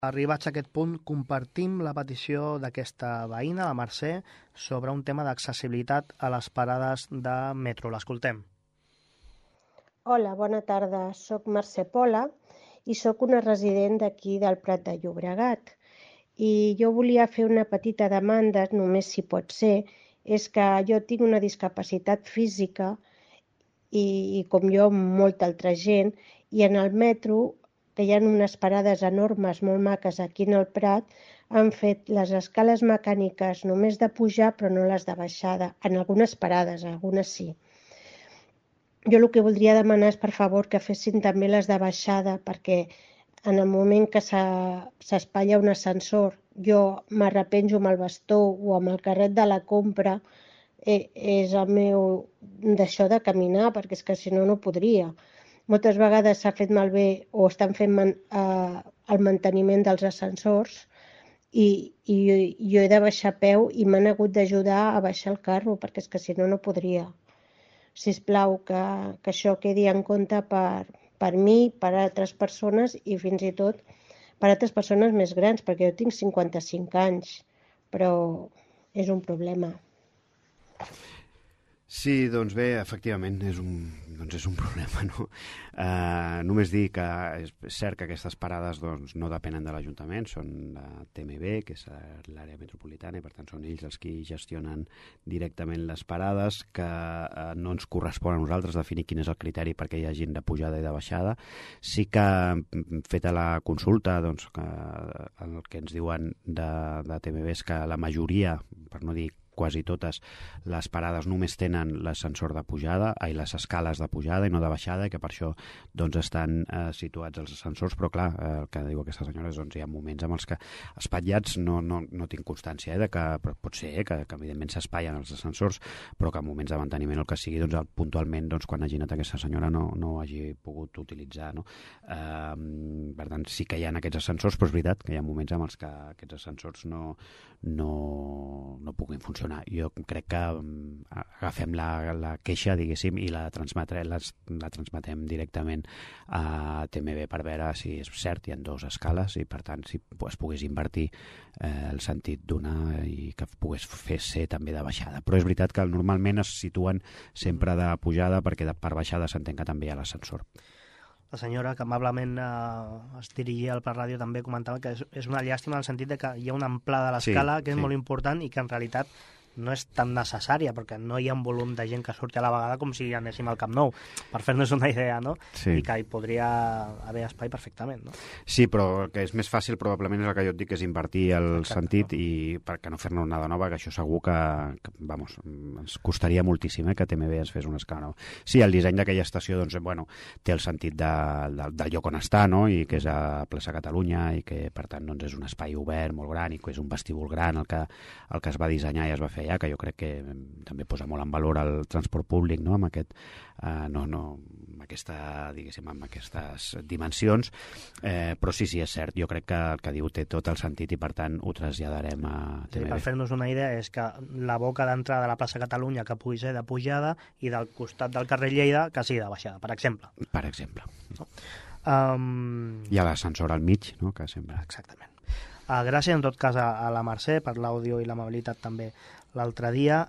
Arribats a aquest punt, compartim la petició d'aquesta veïna, la Mercè, sobre un tema d'accessibilitat a les parades de metro. L'escoltem. Hola, bona tarda. Soc Mercè Pola i sóc una resident d'aquí del Prat de Llobregat. I jo volia fer una petita demanda, només si pot ser, és que jo tinc una discapacitat física i com jo, molta altra gent, i en el metro, que hi ha unes parades enormes, molt maques aquí en el Prat, han fet les escales mecàniques només de pujar però no les de baixada, en algunes parades, algunes sí. Jo el que voldria demanar és, per favor, que fessin també les de baixada, perquè en el moment que s'espatlla un ascensor, jo m'arrepenjo amb el bastó o amb el carret de la compra, és el meu d'això de caminar, perquè és que si no, no podria. Moltes vegades s'ha fet malbé o estan fent el manteniment dels ascensors i jo he de baixar a peu i m'han hagut d'ajudar a baixar el carro, perquè és que si no, no podria. Sisplau, que això quedi en compte per mi, per altres persones i fins i tot per altres persones més grans, perquè jo tinc 55 anys, però és un problema. Sí, doncs bé, efectivament, és un problema, no? Només dir que és cert que aquestes parades doncs, no depenen de l'Ajuntament, són de TMB, que és l'àrea metropolitana, i per tant són ells els qui gestionen directament les parades, que no ens correspon a nosaltres definir quin és el criteri perquè hi hagin de pujada i de baixada. Sí que, feta la consulta, doncs, que el que ens diuen de TMB és que la majoria, per no dir quasi totes les parades només tenen l'ascensor de pujada, les escales de pujada i no de baixada, i que per això doncs, estan situats els ascensors, però clar, el que diu aquesta senyora és doncs, hi ha moments en els que espatllats no tinc constància de que pot ser que evidentment s'espatllen els ascensors, però que en moments de manteniment el que sigui, doncs, puntualment doncs, quan hagi anat aquesta senyora no hagi pogut utilitzar, no? Per tant, sí que hi ha aquests ascensors, però és veritat que hi ha moments en els que aquests ascensors no puguin funcionar. Jo crec que agafem la queixa, diguéssim, i la transmetem directament a TMB per veure si és cert, hi ha dues escales i per tant si es pogués invertir el sentit d'una i que pogués ser també de baixada. Però és veritat que normalment es situen sempre de pujada perquè per baixada s'entén que també hi ha l'ascensor. La senyora, que amablement es dirigia al Prat Ràdio, també comentava que és una llàstima en el sentit de que hi ha una amplada de l'escala que és molt important i que en realitat no és tan necessària, perquè no hi ha un volum de gent que surti a la vegada com si anéssim al Camp Nou, per fer-nos una idea, no? Sí. I que hi podria haver espai perfectament, no? Sí, però el que és més fàcil probablement és el que jo et dic, és invertir el sentit i perquè no fer-ne una de nova, que això segur que vamos, ens costaria moltíssim que TMB ens fes una escala nova. Sí, el disseny d'aquella estació doncs, bueno, té el sentit del lloc on està, no? I que és a Plaça Catalunya i que per tant doncs, és un espai obert molt gran i que és un vestíbul gran el que es va dissenyar i es va fer allà, que jo crec que també posa molt en valor el transport públic, no? Amb aquestes dimensions, però sí, és cert, jo crec que el que diu té tot el sentit i per tant ho traslladarem a TMB. Sí, per fer-nos una idea és que la boca d'entrada de la plaça Catalunya que pugui ser de pujada i del costat del carrer Lleida que sigui de baixada, per exemple. Per exemple. No? Hi ha l'ascensor al mig, no? Que sempre... Exactament. Gràcies en tot cas a la Mercè per l'àudio i l'amabilitat també l'altre dia.